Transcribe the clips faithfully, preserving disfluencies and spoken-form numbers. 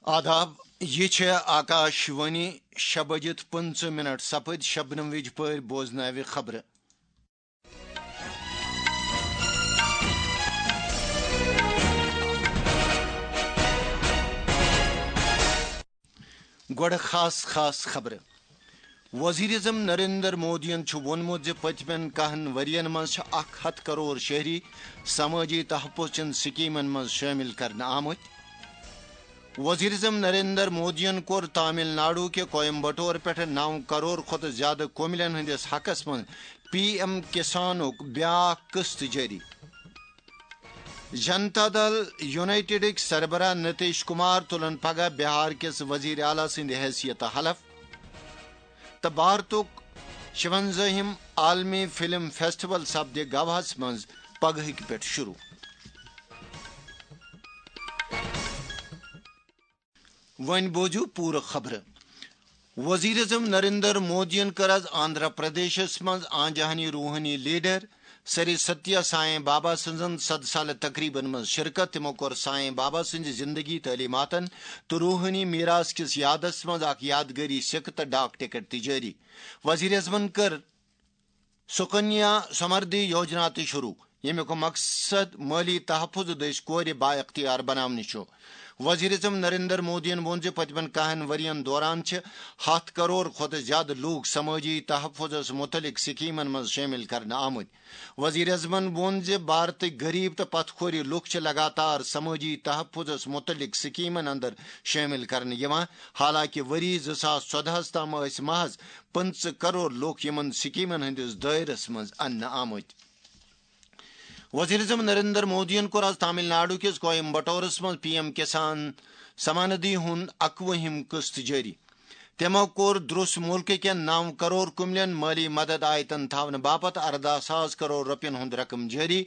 آداب، یہِ چھےٚ آکاش وانی۔ شےٚ بجِتھ پٕنٛژٕہ منٹ سپٕدۍ۔ شبنم وِجہِ پٲرۍ بوزناوِ خبرٕ۔ گۄڈٕ خاص خاص خبرٕ۔ وزیر اعظم نریندر مودیَن چھُ ووٚنمُت زِ پٔتمٮ۪ن کاہن ؤرین منٛز چھِ اکھ ہتھ کرور شہری سمٲجی تحفظ چٮ۪ن سکیمن منٛز شٲمِل کرنہٕ آمٕتۍ۔ وزیر اعظم نریندر مودیَن کوٚر تامل ناڈو کہِ کویمبٹور پٮ۪ٹھ نو کرور کھۄتہٕ زیادٕ کُملٮ۪ن ہٕنٛدِس حقس منٛز پی ایم کسانُک بیاکھ قسط جٲری۔ جنتا دل یونائیٹڈٕکۍ سربراہ نتیش کمار تُلن پگاہ بہار کِس وزیر اعلیٰ سٕنٛدِ حیثیتہٕ حلف، تہٕ بھارتُک شُوَنزٲہِم عالمی فلم فیسٹیول سپدِ گواہس منٛز پگہٕکۍ پٮ۪ٹھ شروع۔ وۄنۍ بوزِو پوٗرٕ خبرٕ۔ وزیر اعظم نریندر مودیَن کٔر آز آندھرا پردیشس منٛز آنجہانی روحٲنی لیڈر سری ستیا سائیں بابا سٕنٛزن صد سالہٕ تقریبن منٛز شرکت۔ تِمو کوٚر سائیں بابا سٕنٛزِ زندگی، تعلیماتن تہٕ روحٲنی میراث کِس یادس منٛز اکھ یادگٲری سکہٕ تہٕ ڈاک ٹکٹ تہِ جٲری۔ وزیر اعظمن کٔر سُکنیا سمردھی یوجنا تہِ شروع، ییٚمیُک مقصد مٲلی تحفظ دٔسۍ کورِ بااختیار بناونٕچ چھُ۔ وزیر اعظم نریندر مودیَن ووٚن زِ پٔتمٮ۪ن کاہن ؤرین دوران چھِ ہتھ کرور کھۄتہٕ زیادٕ لوٗکھ سمٲجی تحفظس مُتعلق سکیمن منٛز شٲمِل کرنہٕ آمٕتۍ۔ وزیر اعظمن ووٚن زِ بھارتٕکۍ غریب تہٕ پتھ کھوری لوٗکھ چھِ لگاتار سمٲجی تحفظس مُتعلق سکیمن اندر شٲمِل کرنہٕ یِوان، حالانکہِ ؤری زٕ ساس ژۄدہَس تام ٲسۍ محض پٕنٛژٕہ کرور لوٗکھ یِمن سکیمن ہٕنٛدِس دٲیرس منٛز اننہٕ آمٕتۍ۔ وزیر اعظم نریندر مودیَن کوٚر آز تامل ناڈو کِس کویمبٹورس منٛز پی ایم کسان سماندھی ہُنٛد اکوُہِم قسط جٲری۔ تٔمۍ کوٚر درٛوس مُلکہٕ کٮ۪ن نو کرور کُملٮ۪ن مٲلی مدد آیتن تھاونہٕ باپتھ ارداہ ساس کرور رۄپین ہُنٛد رقم جٲری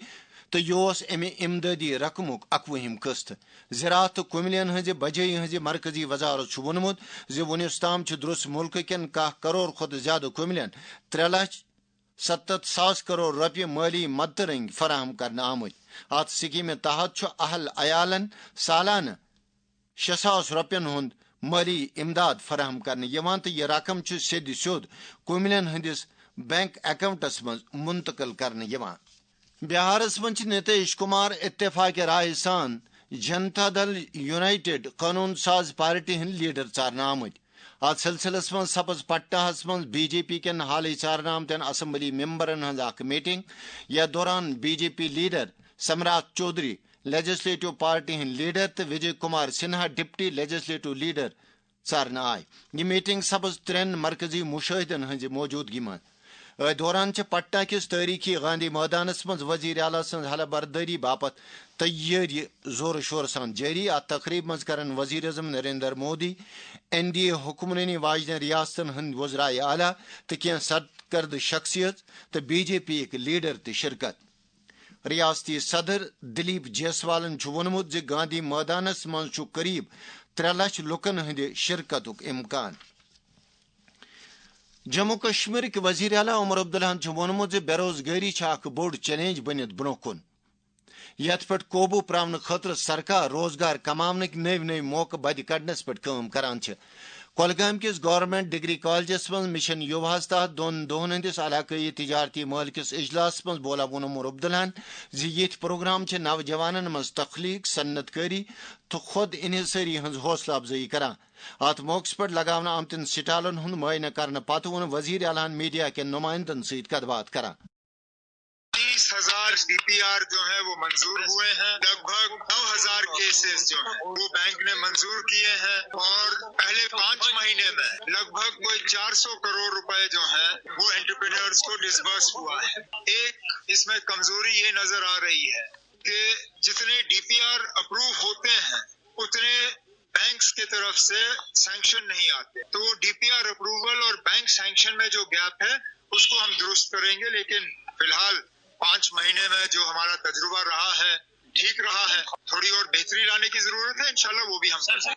تہٕ یہِ اوس امہِ امدادی رقمُک اکوُہِم قسط۔ زراعت تہٕ کُملٮ۪ن ہٕنٛزِ بجٲیی ہٕنٛزِ مرکزی وزارت چھُ ووٚنمُت زِ وُنیُس تام چھِ درٛوس مُلکہٕ کٮ۪ن کاہ کرور کھۄتہٕ زیادٕ کُملٮ۪ن ترٛےٚ لچھ ستتھ ساس کرور رۄپیہِ مٲلی مدتہٕ رٔنگۍ فراہم کرنہٕ آمٕتۍ۔ اتھ سکیمہِ تحت چھُ اہل عیالن سالانہٕ شےٚ ساس رۄپین ہُنٛد مٲلی امداد فراہم کرنہٕ یِوان تہٕ یہِ رقم چھُ سیٚدِ سیوٚد کُملٮ۪ن ہٕنٛدِس بینک اکاؤنٹس منٛز منتقل کرنہٕ یِوان۔ بہارس منٛز چھِ نتیش کمار اتفاق رائے سان جنتا دل یونائیٹڈ قونوٗن ساز پارٹی ہٕنٛدۍ لیڈر ژارنہٕ آمٕتۍ۔ اتھ سلسلس منٛز سپٕز پٹناہس منٛز بی جے پی کٮ۪ن حالٕے ژارنہٕ آمتٮ۪ن اسمبلی ممبرن ہٕنٛز اکھ میٹنگ، یتھ دوران B J P leader Samrath Chaudhary, legislative party ہٕنٛدۍ لیڈر، تہٕ Vijay Kumar Sinha, deputy legislative leader, ژارنہٕ آے۔ یہِ میٹنگ سپٕز ترٛٮ۪ن مرکزی مُشٲہدن ہٕنٛزِ موجودگی منٛز۔ أتھۍ دوران چھِ پٹنہ کِس تٲریخی گاندھی مٲدانس منٛز وزیر اعلیٰ سٕنٛز حلف بردٲری باپتھ تیٲری زورٕ شورٕ سان جٲری۔ اتھ تقریبہِ منٛز کرن وزیر اعظم Narendra Modi, N D A حکمرٲنی واجنٮ۪ن ریاستن ہٕنٛدۍ وزرائے اعلیٰ تہٕ کینٛہہ سرکردٕ شخصیت تہٕ بی جے پی یٕکۍ لیڈر تہِ شرکت۔ ریاستی صدر دلیپ جیسوالن چھُ ووٚنمُت زِ گاندھی مٲدانس منٛز چھُ قریب ترٛےٚ لچھ لوٗکن ہٕنٛدِ شرکتُک امکان۔ جموں کشمیرٕکۍ وزیر اعلیٰ عمر عبداللہن چھُ ووٚنمُت زِ بے روزگٲری چھِ اکھ بوٚڑ چیلنج بٔنِتھ برٛونٛہہ کُن۔ یتھ پٮ۪ٹھ قوبوٗ پراونہٕ خٲطرٕ سرکار روزگار کماونٕکۍ نٔوۍ نٔوۍ موقعہٕ بدِ کڑنس پٮ۪ٹھ کٲم کران چھِ۔ کۄلگامۍ کِس گورنمنٹ ڈگری کالجس منٛز مشن یوواہس تحت دۄن دۄہن ہٕنٛدِس علاقٲیی تجارتی مٲلہٕ کِس اجلاسس منٛز بولا ووٚن عمر عبداللہن زِ یِتھۍ پروگرام چھِ نوجوانن منٛز تخلیق، صنعت کٲری تہٕ خود انحصٲری ہٕنٛز حوصلہٕ افزٲیی کران۔ اتھ موقعس پٮ۪ٹھ لگاونہٕ آمتٮ۪ن سٹالن ہُنٛد معائنہٕ کرنہٕ پتہٕ ووٚن وزیر اعلیٰ ہن میڈیا کٮ۪ن نمائندن سۭتۍ کتھ باتھ کران۔ تیس ہزار ڈی پی آر جو ہیں وہ منظور ہوئے ہیں، لگ بھگ نو ہزار کیسز جو ہیں وہ بینک نے منظور کیے ہیں، اور پہلے پانچ مہینے میں لگ بھگ کوئی چار سو کروڑ روپے جو ہیں وہ انٹرپرینورز کو ڈسبرس ہوا ہے۔ ایک اس میں کمزوری یہ نظر آ رہی ہے کہ جتنے ڈی پی آر اپروو ہوتے ہیں اتنے بینکس کی طرف سے سینکشن نہیں آتے، تو وہ ڈی پی آر اپروول اور بینک سینکشن میں جو گیپ ہے اس کو ہم درست کریں گے، لیکن فی الحال پانچ مہینے میں جو ہمارا تجربہ رہا ہے ٹھیک رہا ہے، تھوڑی اور بہتری لانے کی ضرورت ہے، انشاءاللہ وہ بھی ہم کریں گے۔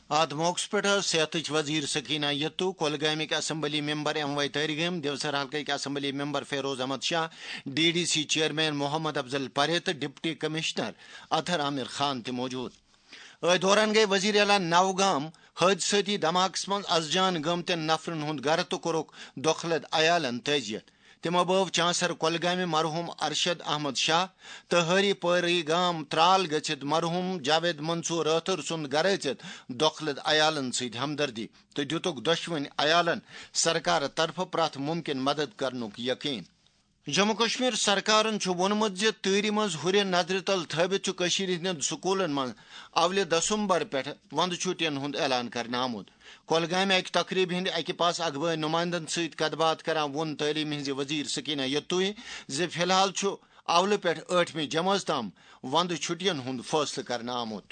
اتھ موقعس پٮ۪ٹھ ٲس صحتٕچ وزیر سکینہ یتو، کۄلگامٕکۍ assembly member M Y Tariq Alam, Devsar حلقٕکۍ assembly member Feroz Ahmad Shah, D D C chairman Mohammad Afzal Parray تہٕ ڈپٹی کمشنر اطہر عامر خان تہِ موجود۔ أتھۍ دوران گٔیہِ وزیر اعلیٰ نوگام حٲدثٲتی دھماکس منٛز از جان گٲمتٮ۪ن نفرن ہُنٛد گرٕ تہٕ کوٚرُکھ دۄکھلد عیالن تعزیت۔ تِمو بٲو چانسر کۄلگامہِ مرحوم ارشد احمد شاہ تہٕ ہٲری پٲری گام ترال گٔژھِتھ مرحوم جاوید منصور رٲتھٕر سُنٛد گرٕ أژِتھ دۄکھلد عیالن سۭتۍ ہمدردی تہٕ دِتُکھ دۄشوٕنۍ عیالن سرکارٕ طرفہٕ پرٛٮ۪تھ مُمکِن مدد کرنُک یقین۔ جموں کشمیر سرکارن چھُ ووٚنمُت زِ تۭرِ منٛز ہُرِ نظرِ تل تھٲوِتھ چھُ کٔشیٖرِ ہٕنٛدٮ۪ن سکوٗلن منٛز اولہِ دسمبر پٮ۪ٹھ وندٕ چھُٹین ہُنٛد اعلان کرنہٕ آمُت۔ کۄلگامہِ اکہِ تقریبہِ ہٕنٛدِ اکہِ پاسہٕ اخبٲرۍ نُمایندن سۭتۍ کتھ باتھ کران ووٚن تعلیٖم ہٕنٛزِ وزیر سکینہ یتوی زِ فی الحال چھُ اولہٕ پٮ۪ٹھ ٲٹھمہِ جمٲژ تام وندٕ چھُٹین ہُنٛد فٲصلہٕ کرنہٕ آمُت۔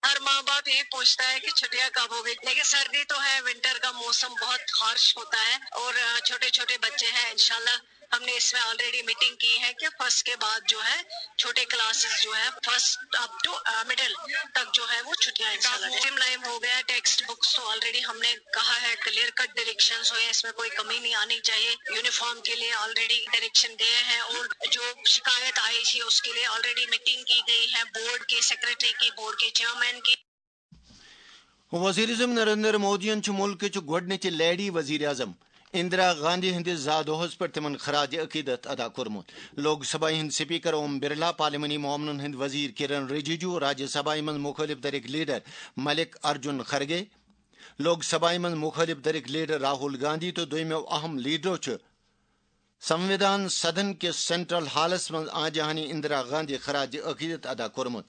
ہر ماں باپ یہی پوچھتا ہے کہ چھٹیاں کب ہوگی، لیکن سردی تو ہے، ونٹر کا موسم بہت ہارش ہوتا ہے اور چھوٹے چھوٹے بچے ہیں۔ انشاءاللہ ہم نے اس میں آلریڈی میٹنگ کی ہے کہ فرسٹ کے بعد جو ہے چھوٹے کلاسز جو ہے، فرسٹ اپ ٹو مڈل تک جو ہے وہ چھٹیاں انشاءاللہ۔ ٹائم لائن ہو گیا، ٹیکسٹ بکس تو آلریڈی ہم نے کہا ہے، کلیئر کٹ ڈائریکشنز ہوئے ہیں، اس میں کوئی کمی نہیں آنی چاہیے۔ یونیفارم کے لیے آلریڈی ڈائریکشن گئے ہیں اور جو شکایت آئی تھی اس کے لیے آلریڈی میٹنگ کی گئی ہے بورڈ کے سیکرٹری کی، بورڈ کے چیئرمین کی۔ وزیر اعظم نریندر مودیَن چھُ مُلکٕچ گۄڈٕنِچ لیڈی وزیر اعظم اندرا گاندھی ہٕنٛدِس زا دۄہَس پٮ۪ٹھ تِمَن خراج عقیدت ادا کوٚرمُت۔ لوک سبھایہ ہٕنٛدۍ سپیکر اوم برلا، پارلیمانی معاملن ہٕنٛدۍ وزیر کرن رجیجو، راجیہ سبھایہ منٛز مُخٲلِف دھرٕکۍ لیڈر ملک ارجن خرگے، لوک سبھایہ منٛز مُخٲلِف دھرٕکۍ لیڈر راہول گاندھی تہٕ دوٚیمٮ۪و اہم لیڈرو چھِ سنویدھان سدن کِس سینٹرل ہالس منٛز آنجہانی اندرا گاندھی خراج عقیدت ادا کوٚرمُت۔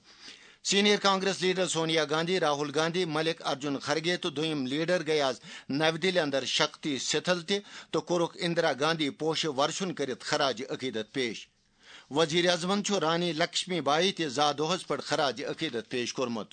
سینئر کانگریس لیڈر سونیا گاندھی، راہول گاندھی، ملک ارجن خرگے تہٕ دوٚیِم لیڈر گٔیہِ آز نَوِ دِلہِ اندر شکتی ستھل تہِ تہٕ کوٚرُکھ اندرا گاندھی پوشہٕ ورشن کٔرِتھ خراج عقیدت پیش۔ وزیر اعظمن چھُ رانی لکشمی بائی تہِ زا دۄہس پٮ۪ٹھ خراج عقیدت پیش کوٚرمُت۔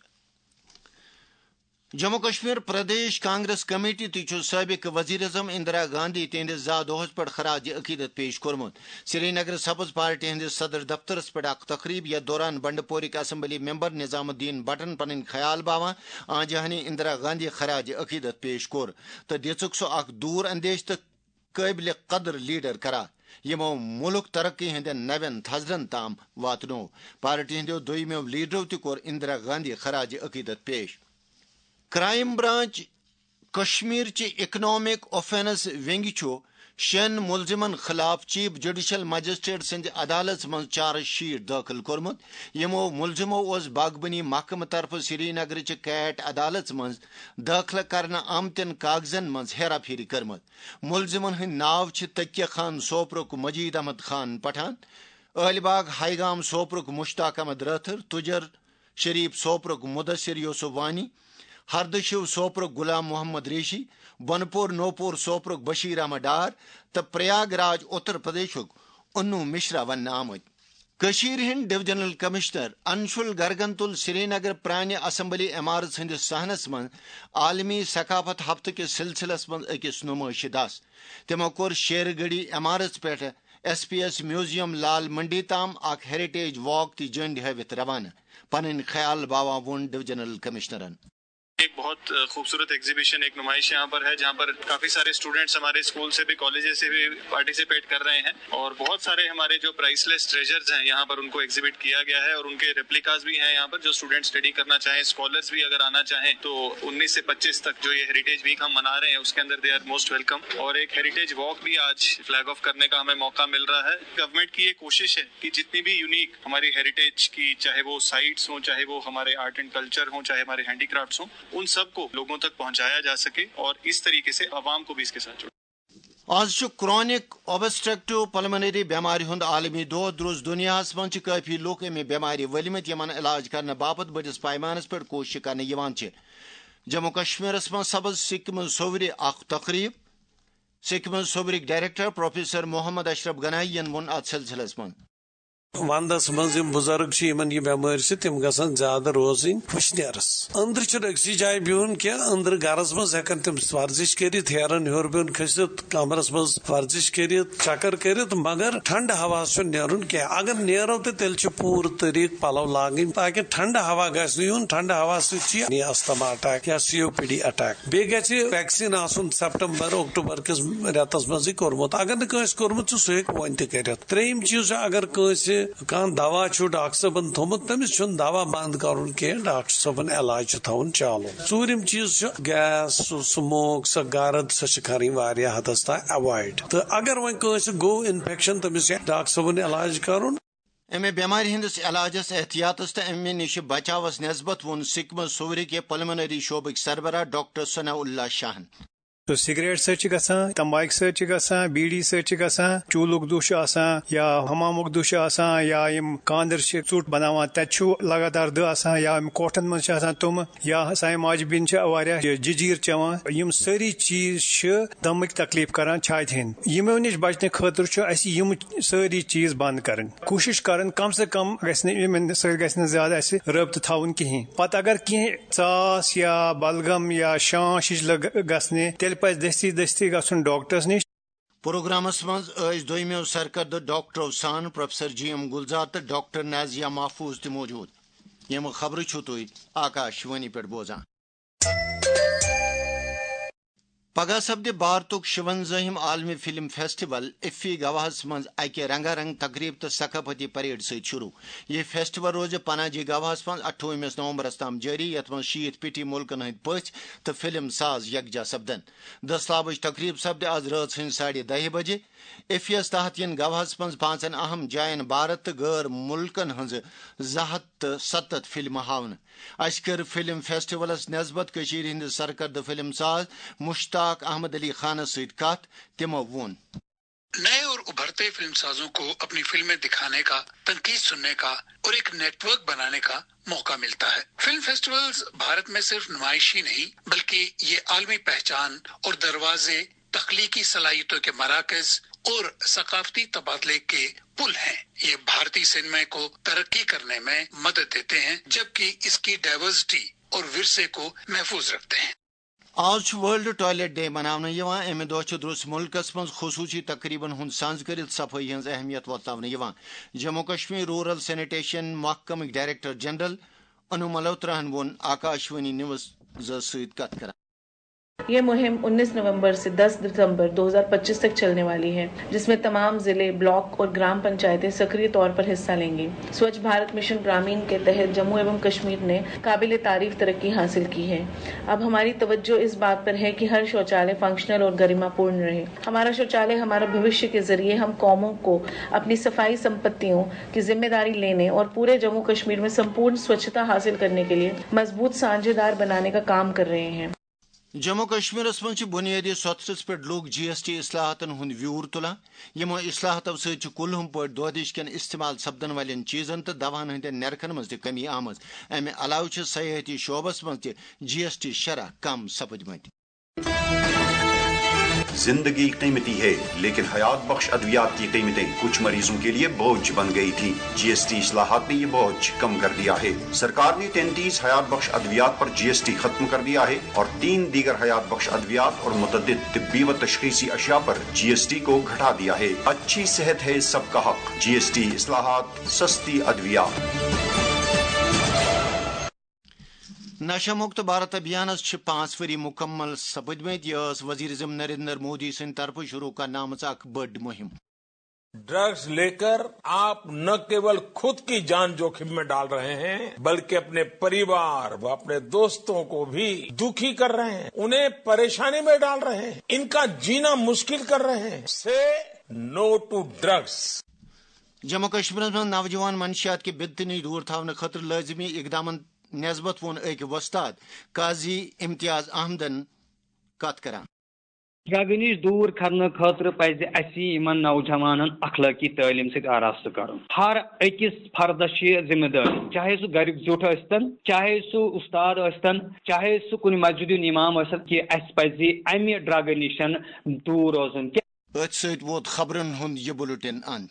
جموں کشمیر پردیش کانگریس کمیٹی تہِ چھُ سٲبق وزیر اعظم اندرا گاندھی تہنٛدِس زا دۄہس پٮ۪ٹھ خراج عقیدت پیش کوٚرمُت۔ سری نگر سبز پارٹی ہٕنٛدِس صدر دفترس پٮ۪ٹھ اکھ تقریب، یتھ دوران بنڈپورٕکۍ اسمبلی ممبر نظام الدین بٹن پنٕنۍ خیال باوان آنجہانی اندرا گاندھی خراج عقیدت پیش کوٚر تہٕ دِژٕکھ سۄ اکھ دوٗر اندیش تہٕ قٲبلِ قدر لیڈر قرار، یِمو مُلک ترقی ہٕنٛدٮ۪ن نوٮ۪ن تھزرن تام واتنوو۔ پارٹی ہٕنٛدیو دوٚیمیو لیڈرو تہِ کوٚر اندرا گاندھی خراج عقیدت پیش۔ کرائم برانچ کشمیر چہِ اکنامک اوفینس ونگہِ چھُ شٮ۪ن مُلزِمن خلاف چیف جوڈیشل مجسٹریٹ سٕنٛزِ عدالژ منٛز چارج شیٹ دٲخل کوٚرمُت، یِمو مُلزِمو اوس باغبٲنی محکمہٕ طرفہٕ سری نگرٕچہِ کیٹ عدالژ منٛز دٲخلہٕ کرنہٕ آمتٮ۪ن کاغذن منٛز ہیرا پھیری کٔرمٕژ۔ مُلزِمن ہٕنٛدۍ ناو چھِ تقیہ خان سوپرُک مجید احمد خان پٹھان، عٲلۍ باغ ہاے گام سوپرُک مشتاق احمد رٲتھٕر، تُجر شریف سوپرُک مدثر یوسف وانی، ہردٕ شِو سوپرُک غلام محمد ریشی، بۄنہٕ پور نوپور سوپرُک بشیر احمد ڈار تہٕ پریاگ راج اتر پردیشُک انو مشرا وننہٕ آمٕتۍ۔ کٔشیٖرِ ہٕنٛدۍ ڈویژنل کمشنر انشول گرگن تُل سرینگر پرانہِ اسمبلی عمارژ ہٕنٛدِس صحنس منٛز عالمی ثقافت ہفتہٕ کِس سلسلس منٛز أکِس نُمٲیشہِ دس۔ تِمو کوٚر شیر گڑھی عمارژ پٮ۪ٹھ ایس پی ایس میوزیم لال منڈی تام اکھ ہیریٹیج واک تہِ جنڈ ہٲوِتھ روانہٕ۔ پنٕنۍ خیال باوان ووٚن ڈویژنل کمشنرن۔ ایک بہت خوبصورت ایگزیبیشن، ایک نمائش یہاں پر ہے، جہاں پر کافی سارے اسٹوڈنٹس ہمارے اسکول سے بھی، کالجز سے بھی پارٹیسپیٹ کر رہے ہیں اور بہت سارے ہمارے جو پرائسلیس ٹریجرز ہیں یہاں پر ان کو ایگزیبٹ کیا گیا ہے اور ان کے ریپلیکاز بھی ہیں یہاں پر۔ جو اسٹوڈنٹس اسٹڈی کرنا چاہیں، اسکالرز بھی اگر آنا چاہیں تو انیس سے پچیس تک جو یہ ہیریٹیج ویک ہم منا رہے ہیں اس کے اندر دے آر موسٹ ویلکم۔ اور ایک ہیریٹیج واک بھی آج فلیگ آف کرنے کا ہمیں موقع مل رہا ہے۔ گورنمنٹ کی یہ کوشش ہے کہ جتنی بھی یونیک ہماری ہیریٹیج کی، چاہے وہ سائٹس ہوں، چاہے وہ ہمارے آرٹ اینڈ کلچر ہوں، چاہے ہمارے ہینڈی کرافٹس ہوں، ان سب کو لوگوں تک پہنچایا جا سکے اور اس طریقے سے عوام کو بھی اس کے ساتھ جوڑا۔ آز چھُ کرونک اوبسٹرکٹیو پلمنری بیمارِ ہُنٛد عالمی دۄہ۔ درٛوس دُنیاہَس منٛز چھِ کٲفی لوٗکھ اَمہِ بیمارِ ؤلمٕتۍ، یِمَن علاج کرنہٕ باپتھ بٔڑِس پیمانَس پٮ۪ٹھ کوٗششہٕ کرنہٕ یِوان چھِ۔ جموں کشمیرَس منٛز سپٕز سکہِ منٛز سوٚورِ اکھ تقریٖب۔ سکہِ منٛز سوٚورٕکۍ ڈائریکٹر پروفیسر محمد اشرف گنایی یَن ووٚن اَتھ سلسلس منٛز۔ وندس منٛز یِم بُزرگ چھِ، یِمن یہِ بٮ۪مٲرۍ چھِ، تِم گژھن زیادٕ روزٕنۍ وٕشنیرس۔ أنٛدرٕ چھُنہٕ أکسٕے جایہِ بِہُن کینٛہہ۔ أنٛدرٕ گرس منٛز ہٮ۪کن تِم ورزش کٔرِتھ، ہیرن ہیوٚر بۄن کھٔسِتھ، کمرس منٛز ورزش کٔرِتھ، چکر کٔرِتھ، مگر ٹھنڈٕ ہوا چھُنہٕ نیرُن کینٛہہ۔ اگر نیرو تہٕ تیٚلہِ چھِ پوٗرٕ طریٖقہٕ پلو لاگٕنۍ، تاکہِ ٹھنڈٕ ہوا گژھِ نہٕ یُن۔ ٹھنڈٕ ہوا سۭتۍ چھِ یہِ استھما اٹیک یا سی او پی ڈی اٹیک۔ بیٚیہِ گژھِ ویکسیٖن آسُن سپٹمبر، اکتوبر کِس رٮ۪تس منٛزٕے کوٚرمُت۔ اگر نہٕ کٲنٛسہِ کوٚرمُت چھُ، سُہ ہیٚکہِ وۄنۍ تہِ کٔرِتھ۔ ترٛیٚیِم چیٖز چھُ، اگر کٲنٛسہِ کانٛہہ دوا چھُ ڈاکٹر صٲبن تھوٚمُت، تٔمِس چھُنہٕ دوا بنٛد کرُن کینٛہہ، ڈاکٹر صٲبن علاج چھُ تھاوُن چالو۔ ژوٗرِم چیٖز چھُ گیس، سُہ سموک، سۄ گرد، سۄ چھِ کھرٕنۍ واریاہ حدس تام ایوایڈ۔ تہٕ اگر وۄنۍ کٲنٛسہِ گوٚو انفیکشن، تٔمِس چھُ ڈاکٹر صٲبن علاج کرُن۔ امہِ بٮ۪مارِ ہٕنٛدِس علاجس، احتیاطس تہٕ امہِ نِش بچاوس نسبت ووٚن سکمز صورٕ کہِ پلمنری شعبٕکۍ سربراہ ڈاکٹر ثناء اللہ شاہن۔ تہٕ سگریٹ سۭتۍ چھِ گژھان، تمباکہِ سۭتۍ چھِ گژھان، بیٖڑی سۭتۍ چھِ گژھان، چوٗلُک دُہ چھُ آسان یا حمامُک دُہ چھُ آسان، یا یِم کاندر چھِ ژوٚٹ بناوان، تتہِ چھُ لگاتار دٕہ آسان، یا یِم کوٹھن منٛز چھِ آسان تِم، یا سانہِ ماجہِ بیٚنہِ چھِ واریاہ یہِ ججیٖر چٮ۪وان۔ یِم سٲری چیٖز چھِ دمٕکۍ تکلیف کران چھاتہِ ہٕنٛدۍ۔ یِمو نِش بچنہٕ خٲطرٕ چھُ اسہِ یِم سٲری چیٖز بنٛد کرٕنۍ۔ کوٗشش کرٕنۍ کم سے کم گژھِ نہٕ یِمن سۭتۍ گژھِ نہٕ زیادٕ اسہِ رٲبطہٕ تھاوُن کِہیٖنۍ۔ پتہٕ اگر کینٛہہ ژاس یا بلغم یا شانش ہِش لٔگ گژھنہِ، تیٚلہِ پزِ دستی دستی گژھُن ڈاکٹرس نِش۔ پروگرامس منٛز ٲسۍ دوٚیمٮ۪و سرکردٕ ڈاکٹرو سان پروفیسر جی ایم گلزار تہٕ ڈاکٹر نازیہ محفوظ تہِ موجود۔ یِم خبرٕ چھِو تُہۍ آکاش وانی پٮ۪ٹھ بوزان۔ پگاہ سپدِ بھارتُک شُوَنزٲہِم عالمی فلم فیسٹیول ایفی گواہَس منٛز اَکہِ رنگا رنگ تقریب تہٕ ثقافتی پریڈ سۭتۍ شروع۔ یہِ فیسٹیول روزِ پناجی گواہَس منٛز اَٹھووُہمِس نومبرَس تام جٲری، یَتھ منٛز شیٖتھ پیٹھی مُلکَن ہٕنٛدۍ پٔژھۍ تہٕ فلم ساز یکجا سپدن۔ دٔسلابٕچ تقریب سپدِ آز رٲژ ہٕنٛزِ ساڑِ دَہہِ بجہِ۔ ایفیَس تحت یِن گواہَس منٛز پانٛژن اہم جاین بھارت تہٕ غٲر مُلکَن ہٕنٛزٕ زٕ ہَتھ تہٕ ستتھ فلمہٕ ہاونہٕ۔ اسہِ کٔر فلم فیسٹیولس نسبت کٔشیٖرِ ہٕنٛدِ سرکردٕ فلم ساز مشتاق احمد علی خانس سۭتۍ کتھ۔ تِمو ووٚن۔ نئے اور ابھرتے فلم سازوں کو اپنی فلمیں دکھانے کا، تنقید سننے کا اور ایک نیٹ ورک بنانے کا मौका मिलता है। फिल्म फेस्टिवल्स भारत में सिर्फ नुमाइश ही नहीं, बल्कि ये आलमी पहचान और दरवाजे, तख्लीकी सलाहियतों के मराकज और सकाफती तबादले के पुल हैं। ये भारतीय सिनेमा को तरक्की करने में मदद देते हैं, जबकि इसकी डाइवर्सिटी और विरसे को महफूज रखते हैं। آز چھُ ورلڈ ٹوائلٹ ڈے مناونہٕ یِوان۔ اَمہِ دۄہ چھُ درٛوس مُلکَس منٛز خصوٗصی تقریٖبَن ہُنٛد سنٛز کٔرِتھ صفٲیی ہٕنٛز اہمیت وۄتلاونہٕ یِوان۔ جموں کشمیر رورل سینیٹیشن محکمٕکۍ ڈائریکٹر جنرل انو ملہوتراہَن ووٚن آکاشوانی نیوزَس سۭتۍ کتھ کران۔ ये मुहिम उन्नीस नवंबर से दस दिसंबर दो हज़ार पच्चीस तक चलने वाली है, जिसमें तमाम जिले, ब्लॉक और ग्राम पंचायतें सक्रिय तौर पर हिस्सा लेंगी। स्वच्छ भारत मिशन ग्रामीण के तहत जम्मू एवं कश्मीर ने काबिल तारीफ तरक्की हासिल की है। अब हमारी तवज्जो इस बात पर है कि हर शौचालय फंक्शनल और गरिमापूर्ण रहे। हमारा शौचालय हमारा भविष्य के जरिए हम कौमों को अपनी सफाई संपत्तियों की जिम्मेदारी लेने और पूरे जम्मू कश्मीर में संपूर्ण स्वच्छता हासिल करने के लिए मजबूत साझेदार बनाने का काम कर रहे हैं। جموں و کشمیرس منٛز چھِ بُنیٲدی سۄتھرس پٮ۪ٹھ لوٗکھ جی ایس ٹی اصلاحاتن ہُنٛد ویوٗر تُلان۔ یِمو اصلاحاتو سۭتۍ چھِ کُلہُم پٲٹھۍ دۄہ دِش کٮ۪ن استعمال سپدن والٮ۪ن چیٖزن تہٕ دواہن ہٕنٛدٮ۪ن نرخن منٛز تہِ کمی آمٕژ۔ امہِ علاوٕ چھِ سیاحتی شعبس منٛز تہِ جی ایس ٹی شرح کم سپٕدمٕتۍ۔ زندگی قیمتی ہے، لیکن حیات بخش ادویات کی قیمتیں کچھ مریضوں کے لیے بوجھ بن گئی تھی۔ جی ایس ٹی اصلاحات نے یہ بوجھ کم کر دیا ہے۔ سرکار نے تینتیس حیات بخش ادویات پر جی ایس ٹی ختم کر دیا ہے اور تین دیگر حیات بخش ادویات اور متعدد طبی و تشخیصی اشیاء پر جی ایس ٹی کو گھٹا دیا ہے۔ اچھی صحت ہے سب کا حق، جی ایس ٹی اصلاحات، سستی ادویات۔ نشہ مکت بھارت ابھیانس چھِ پانٛژھ ؤری مُکمل سپٕدمٕتۍ۔ یہِ ٲس وزیر اعظم نریندر مودی سٕنٛدِ طرفہٕ شروع کرنہٕ آمٕژ اکھ بٔڑ مُہِم۔ ڈرگز لے کر آپ نہ کیول خود کی جان جوکھم میں ڈال رہے ہیں، بلکہ اپنے پریوار و اپنے دوستوں کو بھی دکھی کر رہے ہیں، انہیں پریشانی میں ڈال رہے ہیں، ان کا جینا مشکل کر رہے ہیں۔ سے نو ٹو ڈرگز۔ جموں کشمیرس منٛز نوجوان منشیات کہِ بدتنی دور تھاونہٕ خٲطرٕ لٲزمی اقدامن نسبت ووٚن أکۍ وۄستاد قاضی امتیاز احمدن کتھ کران۔ ڈرگہٕ نِش دوٗر کرنہٕ خٲطرٕ پزِ اسہِ یِمن نوجوانن اخلٲقی تعلیٖم سۭتۍ آراستہٕ کرُن۔ ہر أکِس فردس چھِ یہِ ذمہٕ دٲری، چاہے سُہ گریُک زیُٹھ ٲسۍتن، چاہے سُہ اُستاد ٲسۍتن، چاہے سُہ کُنہِ مسجد ہُنٛد اِمام ٲسۍتن، کہِ اسہِ پزِ امہِ ڈرگہٕ نِش دوٗر روزُن۔ أتھۍ سۭتۍ ووت خبرن ہُنٛد یہِ بُلٹن اند۔